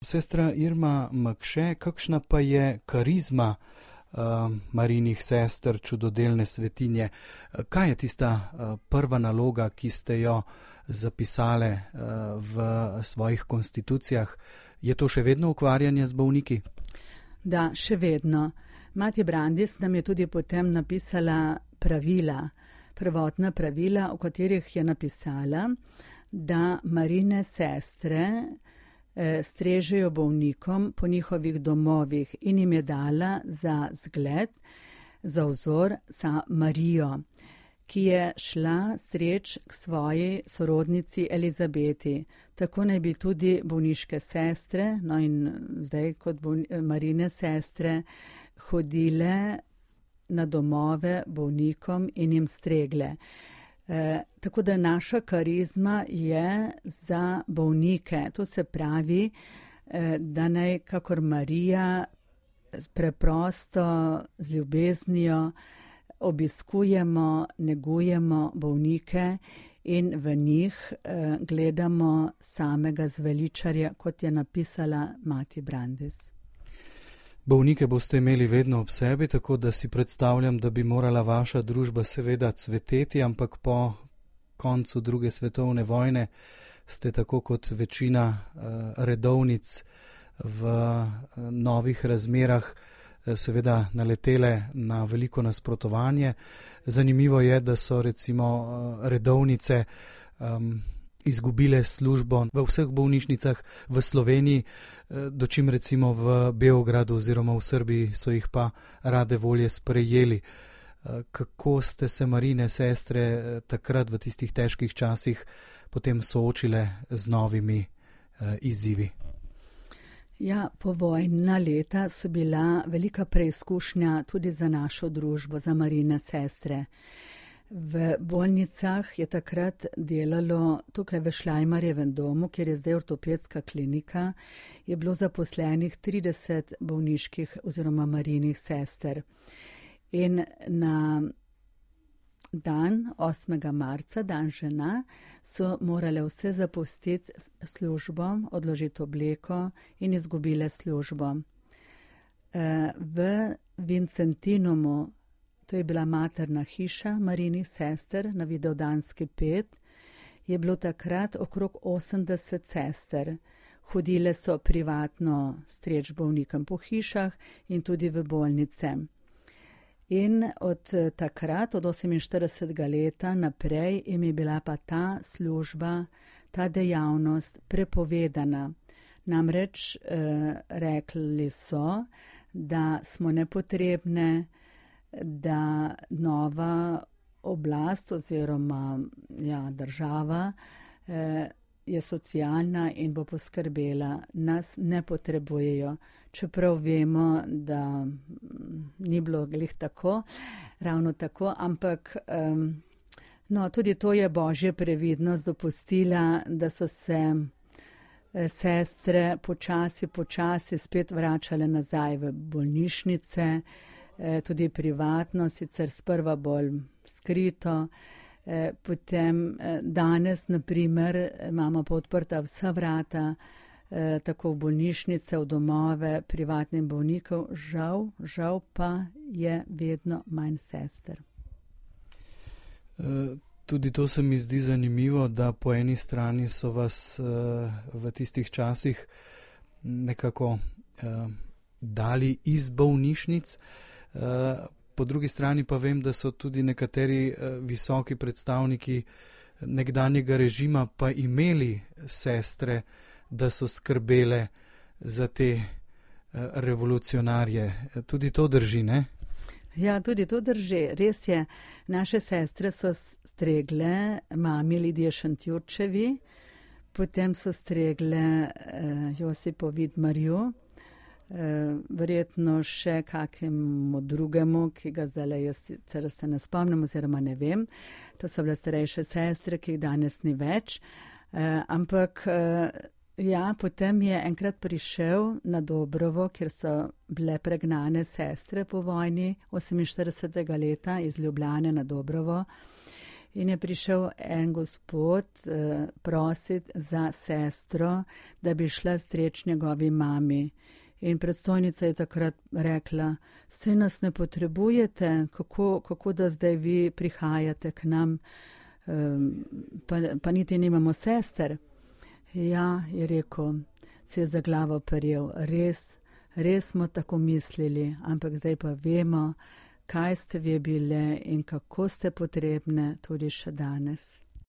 Sestra Irma Makše, kakšna pa je karizma Marijinih sester, čudodelne svetinje? Kaj je tista prva naloga, ki ste jo zapisale v svojih konstitucijah? Je to še vedno ukvarjanje z bolniki? Da, še vedno. Mati Brandis nam je tudi potem napisala pravila, prvotna pravila, v katerih je napisala, da Marijine sestre strežejo bolnikom po njihovih domovih in jim je dala za zgled, za vzor sa Marijo, ki je šla streč k svoji sorodnici Elizabeti. Tako naj bi tudi bolniške sestre, no in zdaj kot Marijine sestre, hodile na domove bolnikom in jim stregle. Tako da naša karizma je za bolnike. To se pravi, da naj kakor Marija preprosto z ljubeznijo obiskujemo, negujemo bolnike in v njih gledamo samega zveličarja, kot je napisala mati Brandis. Bolnike boste imeli vedno ob sebi, tako da si predstavljam, da bi morala vaša družba seveda cveteti, ampak po koncu druge svetovne vojne ste tako kot večina redovnic v novih razmerah seveda naletele na veliko nasprotovanje. Zanimivo je, da so recimo redovnice izgubile službo v vseh bolnišnicah v Sloveniji, dočim recimo v Beogradu oziroma v Srbiji so jih pa rade volje sprejeli. Kako ste se Marijine sestre takrat v tistih težkih časih potem soočile z novimi izzivi? Ja, povojna leta so bila velika preizkušnja tudi za našo družbo, za Marijine sestre. V bolnicah je takrat delalo, tukaj v Šlajmarjevem domu, kjer je zdaj ortopedska klinika, je bilo zaposlenih 30 bolniških oziroma Marijinih sester. In na dan 8. marca, dan žena, so morale vse zapustiti službo, odložiti obleko in izgubile službo. V Vincentinumu, to je bila materna hiša Marijinih sester na Vidovdanski 5, je bilo takrat okrog 80 sester. Hodile so privatno streč bolnikom po hišah in tudi v bolnice. In od takrat, od 48. leta naprej, jim je bila pa ta služba, ta dejavnost prepovedana. Namreč rekli so, da smo nepotrebne, da nova oblast oziroma država je socialna in bo poskrbela. Nas ne potrebujejo, čeprav vemo, da ni bilo glih tako, ravno tako, ampak tudi to je Božja previdnost dopustila, da so se sestre počasi spet vračale nazaj v bolnišnice, tudi privatno, sicer sprva bolj skrito. Potem danes, na primer, imamo pa odprta vsa vrata, tako v bolnišnice, v domove privatnim bolnikov. Žal pa je vedno manj sester. Tudi to se mi zdi zanimivo, da po eni strani so vas v tistih časih nekako dali iz bolnišnic, po drugi strani pa vem, da so tudi nekateri visoki predstavniki nekdanjega režima pa imeli sestre, da so skrbele za te revolucionarje. Tudi to drži, ne? Ja, tudi to drži. Res je, naše sestre so stregle mami Lidije Šentjurčevi, potem so stregle Josipo Vidmarju, verjetno še kakemu drugemu, ki ga zdaj jaz se ne spomnim oziroma ne vem. To so bile starejše sestre, ki jih danes ni več. Ampak potem je enkrat prišel na Dobrovo, kjer so bile pregnane sestre po vojni 48. leta iz Ljubljane na Dobrovo. In je prišel en gospod prositi za sestro, da bi šla streč njegovi mami. In predstojnica je takrat rekla, saj nas ne potrebujete, kako da zdaj vi prihajate k nam, pa niti nimamo sester. Ja, je rekel, se je za glavo prijel, res smo tako mislili, ampak zdaj pa vemo, kaj ste vi bile in kako ste potrebne tudi še danes.